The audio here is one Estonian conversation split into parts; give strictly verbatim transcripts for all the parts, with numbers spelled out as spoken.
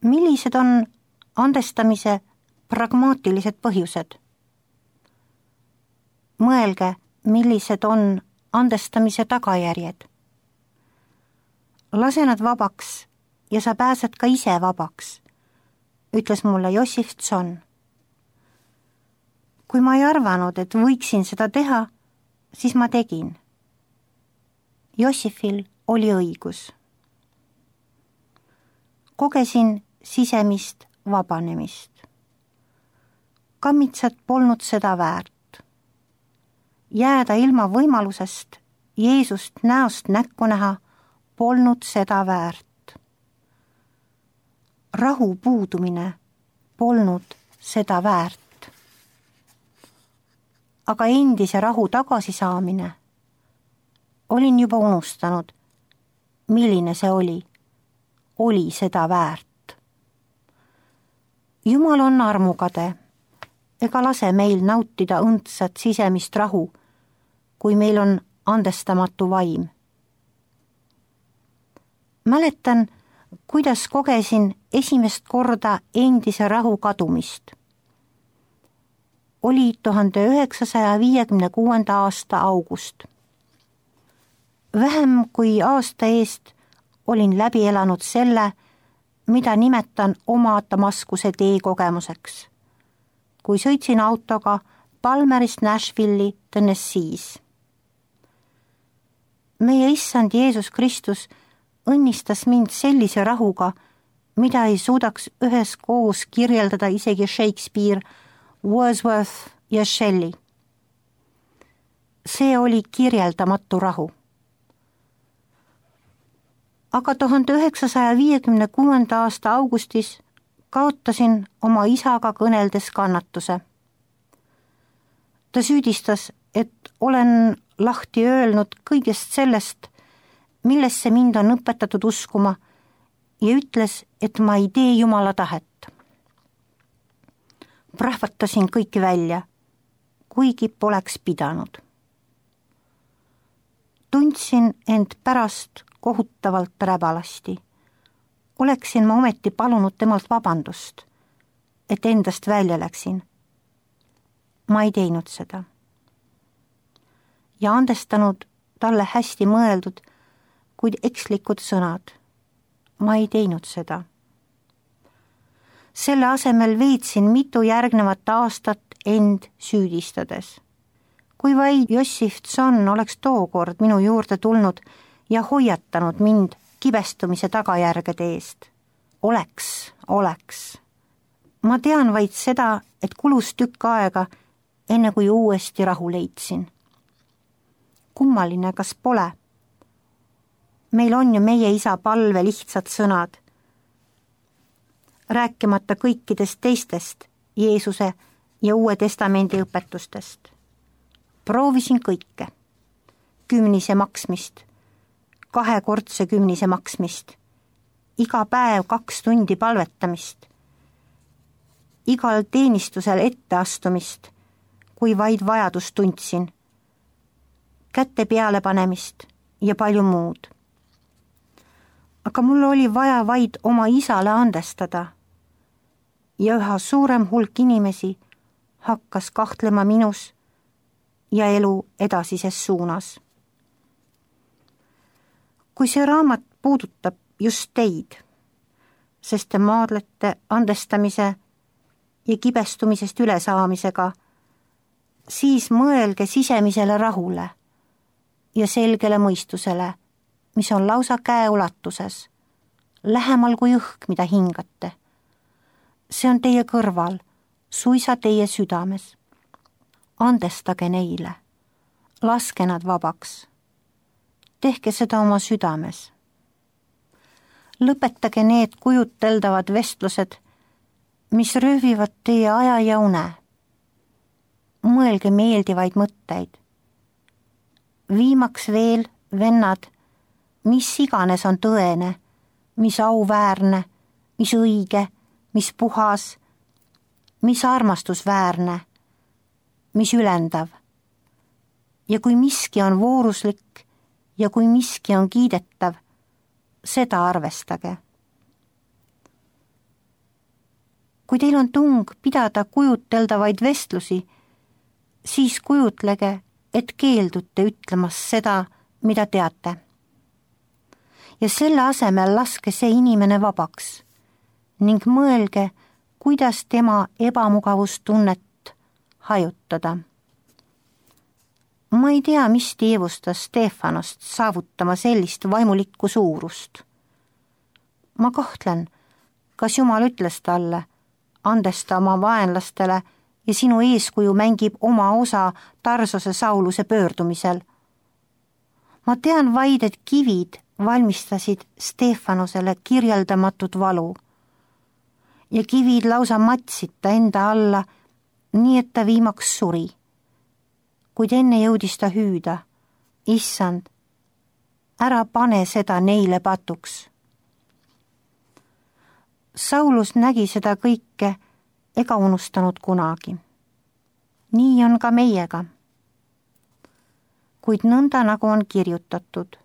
Millised on andestamise pragmaatilised põhjused? Mõelge, millised on andestamise tagajärjed. Lase nad vabaks ja sa pääsed ka ise vabaks, ütles mulle Jossif Tson. Kui ma ei arvanud, et võiksin seda teha, siis ma tegin. Jossifil oli õigus. Kogesin sisemist vabanemist. Kammitsad polnud seda väärt. Jääda ilma võimalusest Jeesust näost näkku näha polnud seda väärt. Rahu puudumine polnud seda väärt. Aga endise rahu tagasisaamine olin juba unustanud, milline see oli. Oli seda väärt. Jumal on armukade, ega lase meil nautida õndsat sisemist rahu, kui meil on andestamatu vaim. Mäletan, kuidas kogesin esimest korda endise rahu kadumist. Oli tuhande üheksasaja viiekümne kuuenda aasta august. Vähem kui aasta eest olin läbi elanud selle, mida nimetan oma Damaskuse tee kogemuseks, kui sõitsin autoga Palmerist Nashville'i Tennessee's. Meie issand Jeesus Kristus õnnistas mind sellise rahuga, mida ei suudaks üheskoos kirjeldada isegi Shakespeare, Wordsworth ja Shelley. See oli kirjeldamatu rahu. Aga tuhande üheksasaja viiekümne kuuenda aasta augustis kaotasin oma isaga kõneldes kannatuse. Ta süüdistas, et olen lahti öelnud kõigest sellest, millesse mind on õpetatud uskuma, ja ütles, et ma ei tee Jumala tahet. Prahvatasin kõik välja, kuigi poleks pidanud. Tundsin end pärast kohutavalt räbalasti. Oleksin ma ometi palunud temalt vabandust, et endast välja läksin. Ma ei teinud seda. Ja andestanud talle hästi mõeldud, kuid ekslikud sõnad. Ma ei teinud seda. Selle asemel veetsin mitu järgnevat aastat end süüdistades. Kui vaid Jossif Tson oleks tookord minu juurde tulnud ja hoiatanud mind kibestumise tagajärgede eest. Oleks, oleks. Ma tean vaid seda, et kulus tükk aega, enne kui uuesti rahu leidsin. Kummaline, kas pole? Meil on ju meie isa palve lihtsad sõnad, rääkimata kõikidest teistest Jeesuse ja Uue Testamendi õpetustest. Proovisin kõike. Kümnise maksmist, kahekordse kümnise maksmist, iga päev kaks tundi palvetamist, igal teenistusel etteastumist, kui vaid vajadust tundsin, kätte peale panemist ja palju muud. Aga mul oli vaja vaid oma isale andestada ja üha suurem hulk inimesi hakkas kahtlema minus ja elu edasises suunas. Kui see raamat puudutab just teid, sest te maadlete andestamise ja kibestumisest ülesaamisega, siis mõelge sisemisele rahule ja selgele mõistusele, mis on lausa käeulatuses, lähemal kui õhk, mida hingate. See on teie kõrval, suisa teie südames. Andestage neile, laske nad vabaks. Tehke seda oma südames. Lõpetage need kujuteldavad vestlused, mis röövivad teie aja ja une. Mõelge meeldivaid mõtteid. Viimaks veel, vennad, mis iganes on tõene, mis auväärne, mis õige, mis puhas, mis armastusväärne, mis ülendav. Ja kui miski on vooruslik ja kui miski on kiidetav, seda arvestage. kui teil on tung pidada kujuteldavaid vestlusi, siis kujutlege, et keeldute ütlemas seda, mida teate. Ja selle asemel laske see inimene vabaks ning mõelge, kuidas tema ebamugavustunnet hajutada. Ma ei tea, mis teevustas Stefanost saavutama sellist vaimulikku suurust. Ma kahtlen, kas Jumal ütles talle, andesta oma vaenlastele ja sinu eeskuju mängib oma osa Tarsose Sauluse pöördumisel. Ma tean vaid, et kivid valmistasid Stefanosele kirjeldamatut valu ja kivid lausa matsid ta enda alla, nii et ta viimaks suri. Kuid enne jõudis ta hüüda, issand, ära pane seda neile patuks. Saulus nägi seda kõike ega unustanud kunagi. Nii on ka meiega. Kuid nõnda nagu on kirjutatud,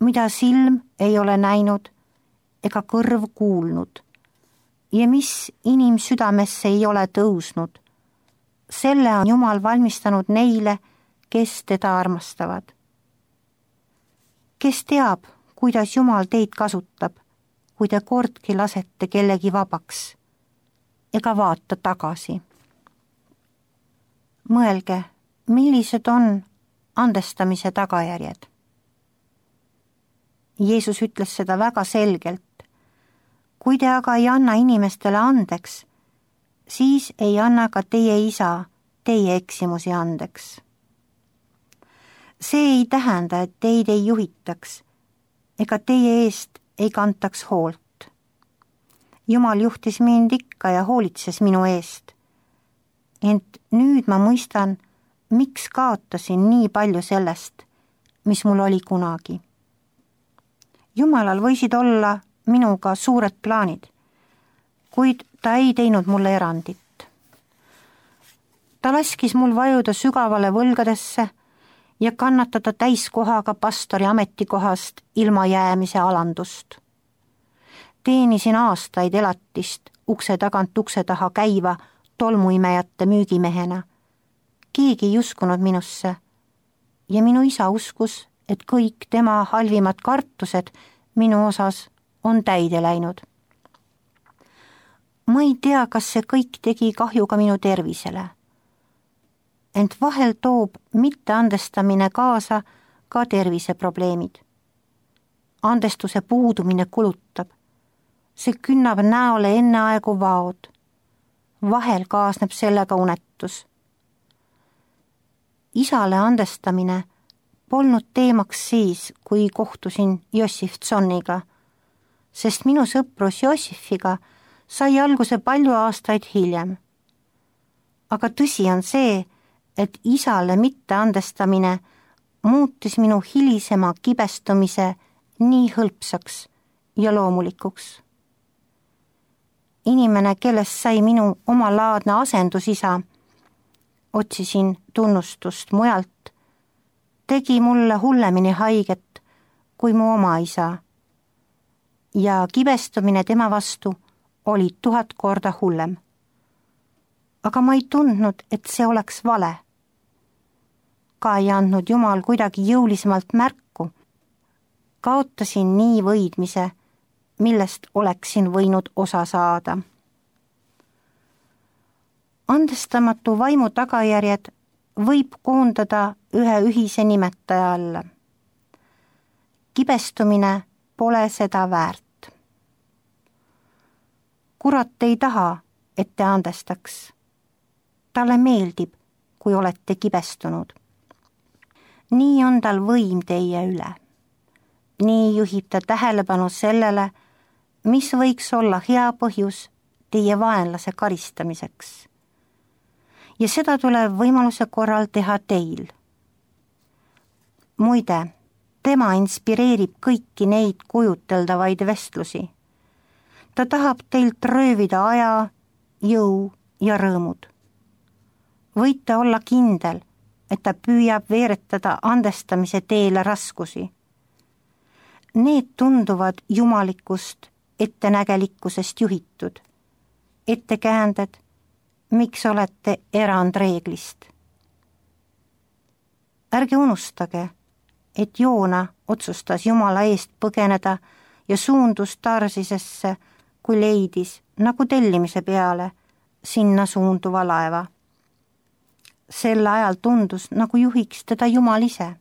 mida silm ei ole näinud ega kõrv kuulnud ja mis inimsüdamesse ei ole tõusnud, selle on Jumal valmistanud neile, kes teda armastavad. Kes teab, kuidas Jumal teid kasutab, kui te kordki lasete kellegi vabaks ega vaata tagasi. Mõelge, millised on andestamise tagajärjed. Jeesus ütles seda väga selgelt. Kui te aga ei anna inimestele andeks, siis ei anna ka teie isa teie eksimusi andeks. See ei tähenda, et teid ei juhitaks ega teie eest ei kantaks hoolt. Jumal juhtis mind ikka ja hoolitses minu eest. Ent nüüd ma mõistan, miks kaotasin nii palju sellest, mis mul oli kunagi. Jumalal võisid olla minuga suured plaanid, kuid ta ei teinud mulle erandit. Ta laskis mul vajuda sügavale võlgadesse ja kannatada täiskohaga pastori ametikohast ilma jäämise alandust. Teenisin aastaid elatist ukse tagant ukse taha käiva tolmuimejate müügimehena. Keegi ei uskunud minusse ja minu isa uskus, et kõik tema halvimad kartused minu osas on täide läinud. Ma ei tea, kas see kõik tegi kahju ka minu tervisele. Ent vahel toob mitteandestamine kaasa ka terviseprobleemid. Andestuse puudumine kulutab. See künnab näole enneaegu vaod. Vahel kaasneb sellega unetus. Isale andestamine polnud teemaks siis, kui kohtusin Jossif Tsonniga, sest minu sõprus Jossifiga sai alguse palju aastaid hiljem. Aga tõsi on see, et isale mitteandestamine muutis minu hilisema kibestumise nii hõlpsaks ja loomulikuks. Inimene, kellest sai minu omalaadne asendusisa, otsisin tunnustust mujalt, tegi mulle hullemini haiget kui mu oma isa. Ja kibestumine tema vastu oli tuhat korda hullem. Aga ma ei tundnud, et see oleks vale. Ka ei andnud Jumal kuidagi jõulisemalt märku. Kaotasin nii võidmise, millest oleksin võinud osa saada. Andestamatu vaimu tagajärjed võib koondada ühe ühise nimetaja alla. Kibestumine pole seda väärt. Kurat ei taha, et te andestaks. Talle meeldib, kui olete kibestunud. Nii on tal võim teie üle. Nii juhib ta tähelepanu sellele, mis võiks olla hea põhjus teie vaenlase karistamiseks. Ja seda tuleb võimaluse korral teha teil. Muide, tema inspireerib kõiki neid kujuteldavaid vestlusi. Ta tahab teilt röövida aja, jõu ja rõõmud. Võite olla kindel, et ta püüab veeretada andestamise teele raskusi. Need tunduvad jumalikust ettenägelikkusest juhitud ettekäänded, miks olete erandreeglist. Ärge unustage, et Joona otsustas Jumala eest põgeneda ja suundus Tarsisesse, kui leidis, nagu tellimise peale, sinna suunduva laeva. Sel ajal tundus, nagu juhiks teda Jumal ise.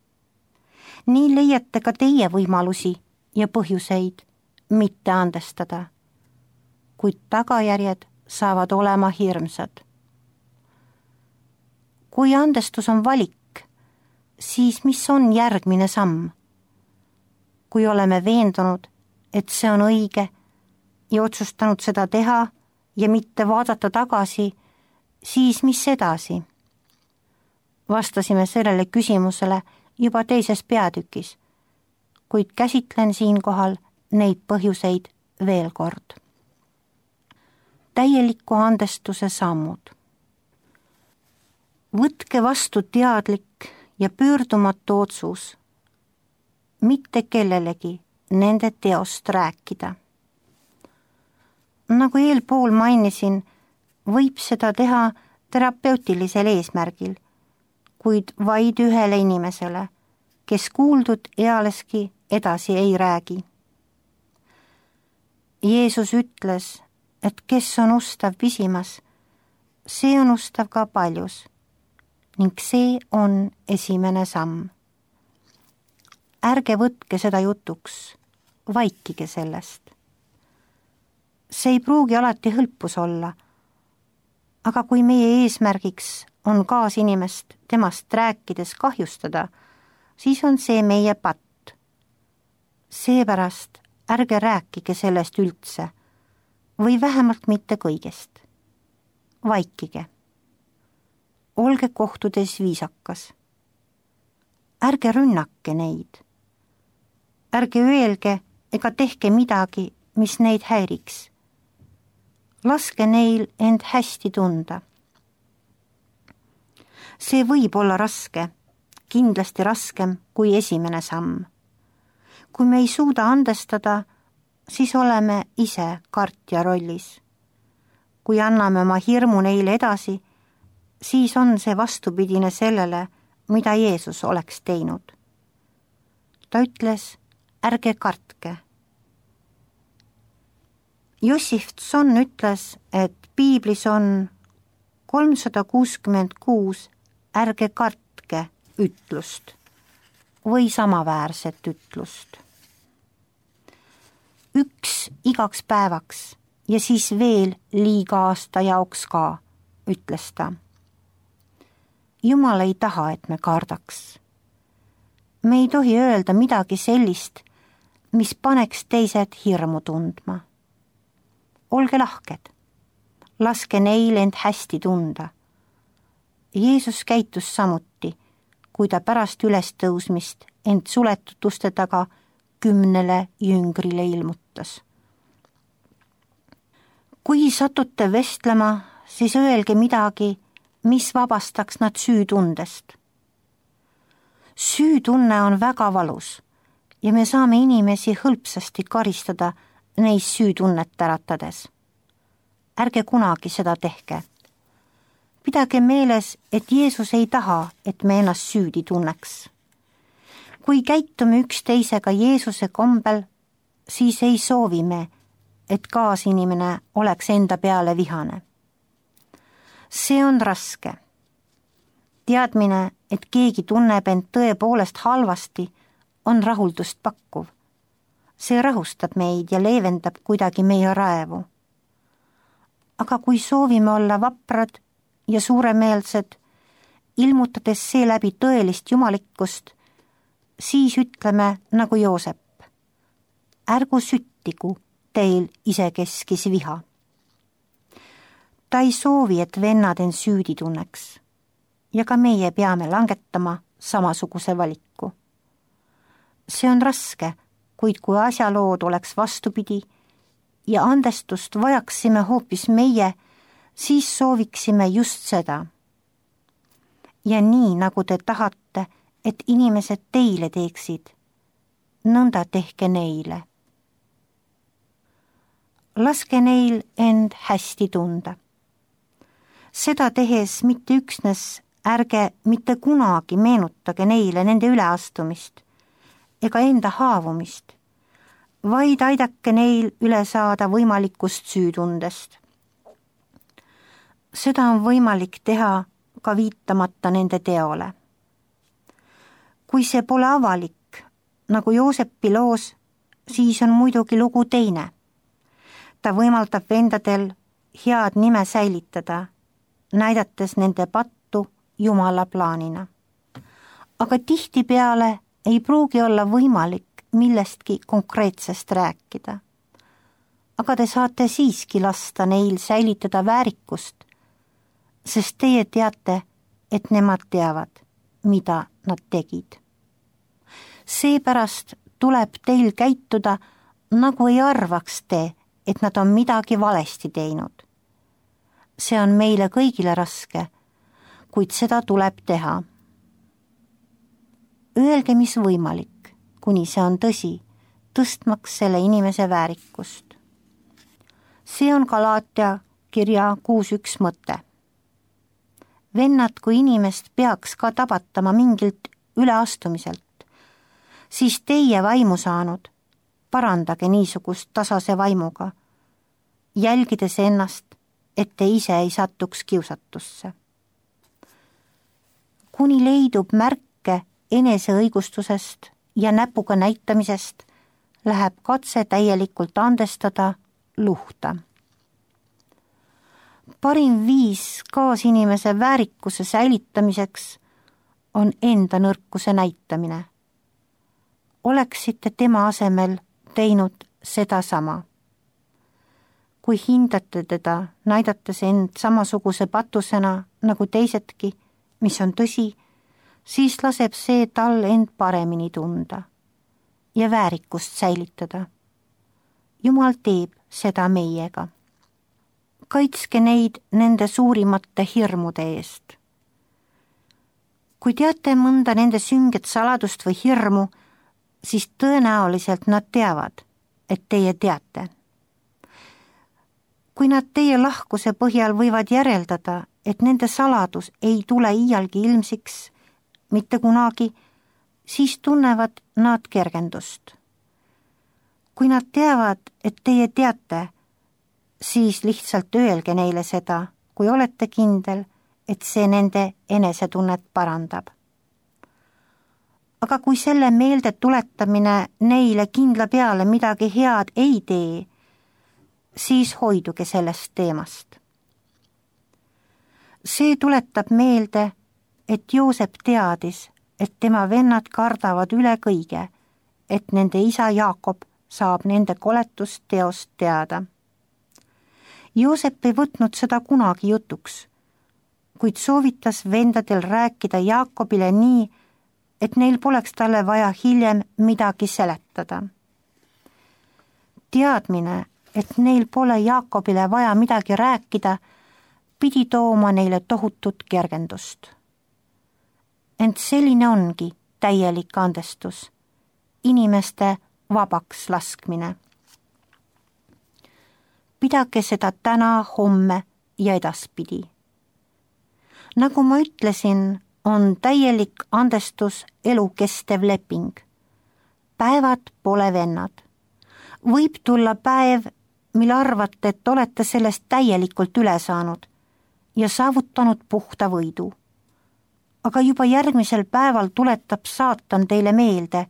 Nii leiate ka teie võimalusi ja põhjuseid mitte andestada, kuid tagajärjed saavad olema hirmsad. Kui andestus on valik, siis mis on järgmine samm? Kui oleme veendunud, et see on õige ja otsustanud seda teha ja mitte vaadata tagasi, siis mis edasi? Vastasime sellele küsimusele juba teises peatükis, kuid käsitlen siinkohal neid põhjuseid veel kord. Täieliku andestuse sammud. Võtke vastu teadlik ja pöördumatu otsus, mitte kellelegi nende teost rääkida. Nagu eelpool mainisin, võib seda teha terapeutilisel eesmärgil, kuid vaid ühele inimesele, kes kuuldud ealeski edasi ei räägi. Jeesus ütles, et kes on ustav pisimas, see on ustav ka paljus, ning see on esimene samm. Ärge võtke seda jutuks, vaikige sellest. See ei pruugi alati hõlpus olla, aga kui meie eesmärgiks on kaasinimest temast rääkides kahjustada, siis on see meie patt. Seepärast ärge rääkige sellest üldse või vähemalt mitte kõigest. Vaikige. Olge kohtudes viisakas. Ärge rünnake neid. Ärge öelge ega tehke midagi, mis neid häiriks. Laske neil end hästi tunda. See võib olla raske, kindlasti raskem kui esimene samm. Kui me ei suuda andestada, siis oleme ise kartja rollis. Kui anname oma hirmu neile edasi, siis on see vastupidine sellele, mida Jeesus oleks teinud. Ta ütles, ärge kartke. Jossif Tson ütles, et piiblis on kolmsada kuuskümmend kuus ärge kartke ütlust või samaväärset ütlust. Üks igaks päevaks ja siis veel liiga aasta jaoks ka, ütles ta. Jumal ei taha, et me kardaks. Me ei tohi öelda midagi sellist, mis paneks teised hirmu tundma. Olge lahked, laske neil end hästi tunda. Jeesus käitus samuti, kui ta pärast ülestõusmist end suletud uste taga kümnele jüngrile ilmutas. Kui satute vestlema, siis öelge midagi, mis vabastaks nad süütundest. Süütunne on väga valus ja me saame inimesi hõlpsasti karistada neis süütunnet äratades. Ärge kunagi seda tehke. Pidage meeles, et Jeesus ei taha, et me ennast süüdi tunneks. Kui käitume üksteisega Jeesuse kombel, siis ei soovi me, et kaasinimene oleks enda peale vihane. See on raske. Teadmine, et keegi tunneb end tõepoolest halvasti, on rahuldust pakkuv. See rahustab meid ja leevendab kuidagi meie raevu. Aga kui soovime olla vaprad ja suuremeelsed, ilmutades seeläbi tõelist jumalikkust, siis ütleme nagu Joosep. Ärgu süttigu teil isekeskis viha. Ta ei soovi, et vennad end süüdi tunneks ja ka meie peame langetama samasuguse valiku. See on raske, kuid kui asjalood oleks vastupidi ja andestust vajaksime hoopis meie, siis sooviksime just seda. Ja nii, nagu te tahate, et inimesed teile teeksid, nõnda tehke neile. laske neil end hästi tunda. Seda tehes mitte üksnes ärge mitte kunagi meenutage neile nende üleastumist ega enda haavumist, vaid aidake neil üle saada võimalikust süütundest. Seda on võimalik teha ka viitamata nende teole. Kui see pole avalik, nagu Joosepi loos, siis on muidugi lugu teine. Ta võimaldab vendadel head nime säilitada, näidates nende pattu Jumala plaanina. Aga tihtipeale ei pruugi olla võimalik millestki konkreetsest rääkida. Aga te saate siiski lasta neil säilitada väärikust, sest teie teate, et nemad teavad, mida nad tegid. Seepärast tuleb teil käituda, nagu ei arvaks te, et nad on midagi valesti teinud. See on meile kõigile raske, kuid seda tuleb teha. Öelge, mis võimalik, kuni see on tõsi, tõstmaks selle inimese väärikust. See on Galaatia kirja kuus üks mõte. Vennad, kui inimest peaks ka tabatama mingilt üleastumiselt, siis teie vaimu saanud, parandage niisugust tasase vaimuga, jälgides ennast, et te ise ei satuks kiusatusse. Kuni leidub märke eneseõigustusest ja näpuga näitamisest, läheb katse täielikult andestada luhta. Parim viis kaasinimese väärikuse säilitamiseks on enda nõrkuse näitamine. Oleksite tema asemel teinud seda sama. Kui hindate teda, näidates end samasuguse patusena nagu teisedki, mis on tõsi, siis laseb see tal end paremini tunda ja väärikust säilitada. Jumal teeb seda meiega. Kaitske neid nende suurimate hirmude eest. Kui teate mõnda nende sünget saladust või hirmu, siis tõenäoliselt nad teavad, et teie teate. Kui nad teie lahkuse põhjal võivad järeldada, et nende saladus ei tule iialgi ilmsiks, mitte kunagi, siis tunnevad nad kergendust. Kui nad teavad, et teie teate, siis lihtsalt öelge neile seda, kui olete kindel, et see nende enesetunnet parandab. Aga kui selle meelde tuletamine neile kindla peale midagi head ei tee, siis hoiduge sellest teemast. See tuletab meelde, et Joosep teadis, et tema vennad kardavad üle kõige, et nende isa Jaakob saab nende koletust teost teada. Joosep ei võtnud seda kunagi jutuks, kuid soovitas vendadel rääkida Jaakobile nii, et neil poleks talle vaja hiljem midagi seletada. Teadmine, et neil pole Jaakobile vaja midagi rääkida, pidi tooma neile tohutut kergendust. Ent selline ongi täielik andestus, inimeste vabaks laskmine. Pidage seda täna, homme ja edaspidi. Nagu ma ütlesin, on täielik andestus elukestev leping. Päevad pole vennad. Võib tulla päev, mil arvate, et olete sellest täielikult üle saanud ja saavutanud puhta võidu. Aga juba järgmisel päeval tuletab saatan teile meelde,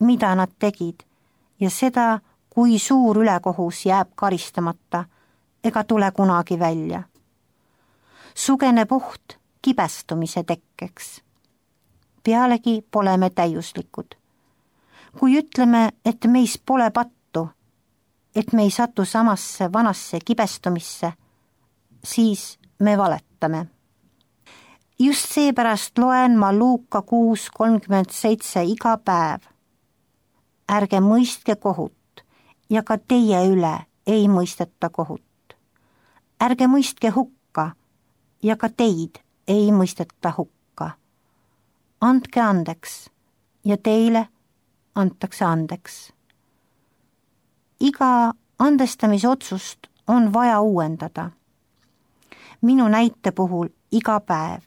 mida nad tegid ja seda, kui suur ülekohus jääb karistamata ega tule kunagi välja. Sugeneb oht kibestumise tekkeks. Pealegi pole me täiuslikud. Kui ütleme, et meis pole pattu, et me ei satu samasse vanasse kibestumisse, siis me valetame. Just seepärast loen ma Luuka kuus kolmkümmend seitse iga päev. Ärge mõistke kohut ja ka teie üle ei mõisteta kohut. Ärge mõistke hukka ja ka teid ei mõisteta hukka. Andke andeks ja teile antakse andeks. Iga andestamisotsust on vaja uuendada. Minu näite puhul iga päev.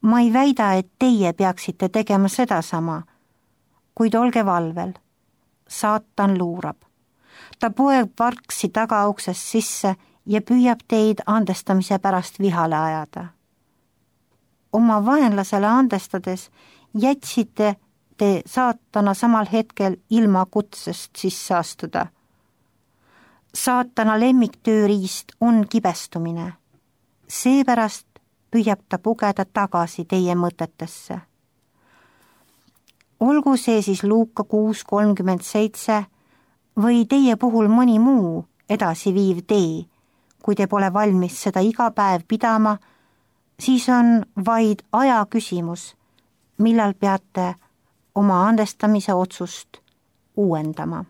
Ma ei väida, et teie peaksite tegema sedasama, kuid olge valvel. Saatan luurab. Ta poeb vargsi tagauksest sisse ja püüab teid andestamise pärast vihale ajada. Oma vaenlasele andestades jätsite te saatana samal hetkel ilma kutsest sisse astuda. Saatana lemmiktööriist on kibestumine. Seepärast püüab ta pugeda tagasi teie mõtetesse. Olgu see siis Luuka kuus kolmkümmend seitse või teie puhul mõni muu edasiviiv tee, kui te pole valmis seda iga päev pidama, siis on vaid aja küsimus, millal peate oma andestamise otsust uuendama.